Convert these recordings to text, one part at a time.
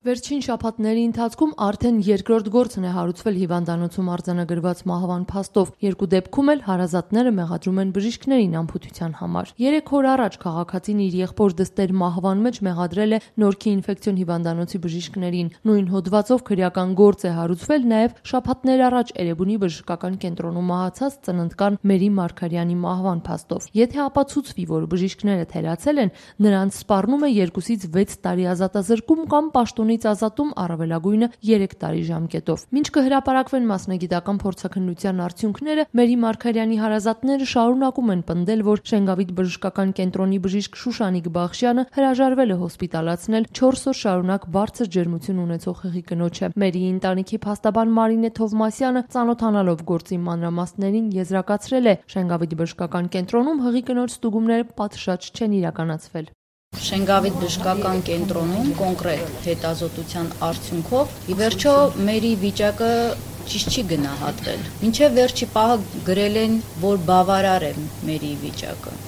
Վերջին շաբաթների ընթացքում արդեն երկրորդ գործն է հարուցվել հիվանդանոցում արձանագրված մահվան փաստով։ Երկու դեպքում էլ հարազատները մեղադրում են բժիշկներին անփութության համար։ 3 օր առաջ քաղաքացին իր եղբոր դստեր մահվան մեջ մեղադրել է Նորքի ինֆեկցիոն հիվանդանոցի բժիշկներին։ Նույն հոդվածով քրեական գործ է հարուցվել նաև շաբաթներ առաջ Էրեբունի բժշկական կենտրոնում մահացած ծննդկան Մերի Մարգարյանի մահվան փաստով։ Եթե ապացուցվի, որ բժիշկները թերացել են, նրանց սպառնում է 2-ից 6 տարի ազատազրկում կամ պաշտոնից ազատում առավելագույնը 3 տարի ժամկետով։ Մինչ կհրապարակվեն մասնագիտական փորձաքննության արդյունքները, Մերի Մարգարյանի հարազատները շարունակում են պնդել, որ Շենգավիթ բժշկական կենտրոնի բժիշկ Շուշանիկ Բախշյանը հրաժարվել է հոսպիտալացնել 4 օր շարունակ բարձր ջերմություն ունեցող հղի կնոջը։ Մերիի ընտանիքի փաստաբան Մարինե Թովմասյանը, ծանոթանալով գործի մանրամասներին, եզրակացրել է, Շենգավիթ բժշկական կենտրոնում հղի կնոջ ստուգումները պատշաճ չեն իրականացվել։ Շենգավիթ բժշկական կենտրոնում կոնկրետ հետազոտության արդյունքով ի վերջո Մերի վիճակը ճիշտ չի գնահատվել։ Մինչև վերջի պահը գրել են, որ բավարար է Մերի վիճակը։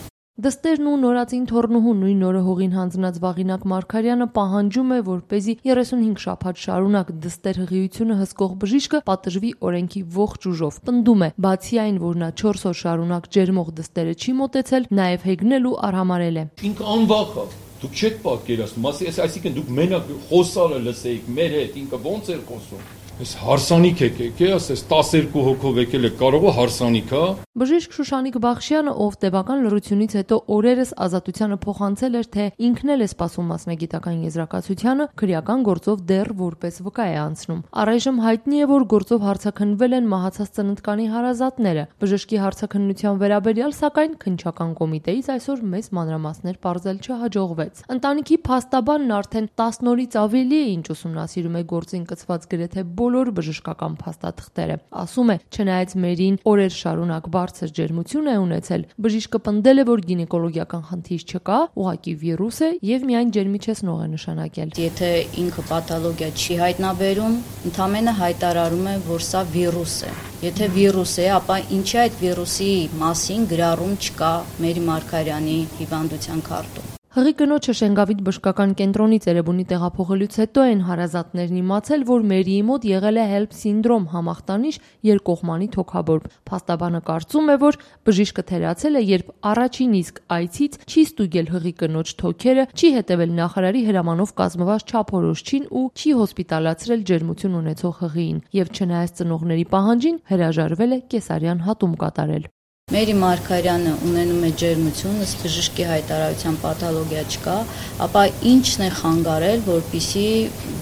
Դստերն ու նորածին թոռնուհու նույն օրը հողին հանձնած Վաղինակ Մարգարյանը պահանջում է, որպեսզի 35 շաբաթ շարունակ դստեր հղիությունը հսկող բժիշկը պատժվի օրենքի ողջ ուժով։ Պնդում է, բացի այն, որ նա 4 օր շարունակ ջերմող դստերը չի մոտեցել, նաև հեգնել ու արհամարել է։ Ինքը անվախ է։ Դուք չեք պատկերացնում, այսինքն դուք մենակ խոսալը լսեիք մեր հետ, ինքը ոնց էր խոսում։ Այս հարսանիք եկեք, ասես 12 հոգով եկել է, կարող է հարսանիք, հա։ Բժիշկ Շուշանիկ Բախշյանը, ով տևական լռությունից հետո օրերս ազատությանը փոխանցել էր, թե ինքն էլ է սպասում մասնագիտական եզրակացությանը, քրեական գործով դեռ որպես վկա է անցնում։ Առայժմ հայտնի է, որ գործով հարցաքննվել են մահացած ծննդկանի հարազատները։ Բժշկի հարցաքննության վերաբերյալ, սակայն, քննչական կոմիտեից այսօր մեծ մանրամասներ պարզել չհաջողվեց։ Ընտանիքի փաստաբանն արդեն 10 օրից ավելի է, ինչ ուսումնասիրում է գործին կցված գրեթե բոլոր բժշկական փաստաթղթերը։ Ասում է, չնայած Մերին օրեր շարունակ բարձր ջերմություն է ունեցել, բժիշկը պնդել է, որ գինեկոլոգիական խնդիր չկա, ուղղակի վիրուս է եւ միայն ջերմիչեցնող է նշանակել։ Եթե ինքը պաթոլոգիա չի հայտնաբերում, ընդամենը հայտարարում է, որ սա վիրուս է։ Եթե վիրուս է, ապա ինչի այդ վիրուսի մասին գրառում չկա Մերի Մարգարյանի հիվանդության քարտում։ Հղի կնոջը Շենգավիթ բժշկական կենտրոնից Էրեբունի տեղափոխելուց հետո են հարազատներն իմացել, որ Մերիի մոտ եղել է HELLP սինդրոմ համախտանիշ երկկողմանի թոքաբորբ։ Փաստաբանը կարծում է, որ բժիշկը թերացել է, երբ առաջին իսկ այցից չի ստուգել հղի կնոջ թոքերը, չի հետևել նախարարի հրամանով կազմված չափորոշչին ու չի հոսպիտալացրել ջերմություն ունեցող հղիին, եւ չնայած ծնողների պահանջին հրաժարվել է կեսարյան հատում կատարել։ Մերի Մարգարյանը ունենում է ջերմություն, ըստ բժշկի հայտարարության պաթոլոգիա չկա, ապա ինչն է խանգարել, որպեսզի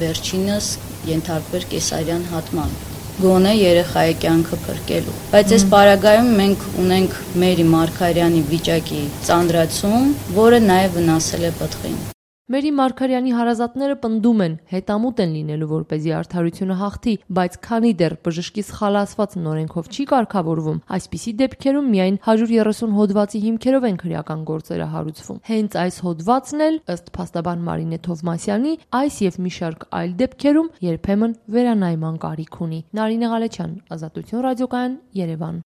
վերջինս ենթարկվեր կեսարյան հատման, գոնե երեխայի կյանքը փրկելու։ Բայց այս պարագայում մենք ունենք Մերի Մարգարյանի վիճակի ծանրացում, որը նաև վնասել է պտղին։ Մերի Մարգարյանի հարազատները պնդում են, հետամուտ են լինելու, որպեսզի արդարությունը հաղթի, բայց քանի դեռ բժշկի սխալացված նորենքով չի կարգավորվում, այսպիսի դեպքերում միայն 130 հոդվածի հիմքերով են քրեական գործերը հարուցվում։ Հենց այս հոդվածն էլ, ըստ փաստաբան Մարինե Թովմասյանի, այս եւ մի շարք այլ դեպքերում երբեմն վերանայման կարիք ունի։ Նարինե Ղալեչյան, Ազատություն ռադիոկայան, Երևան։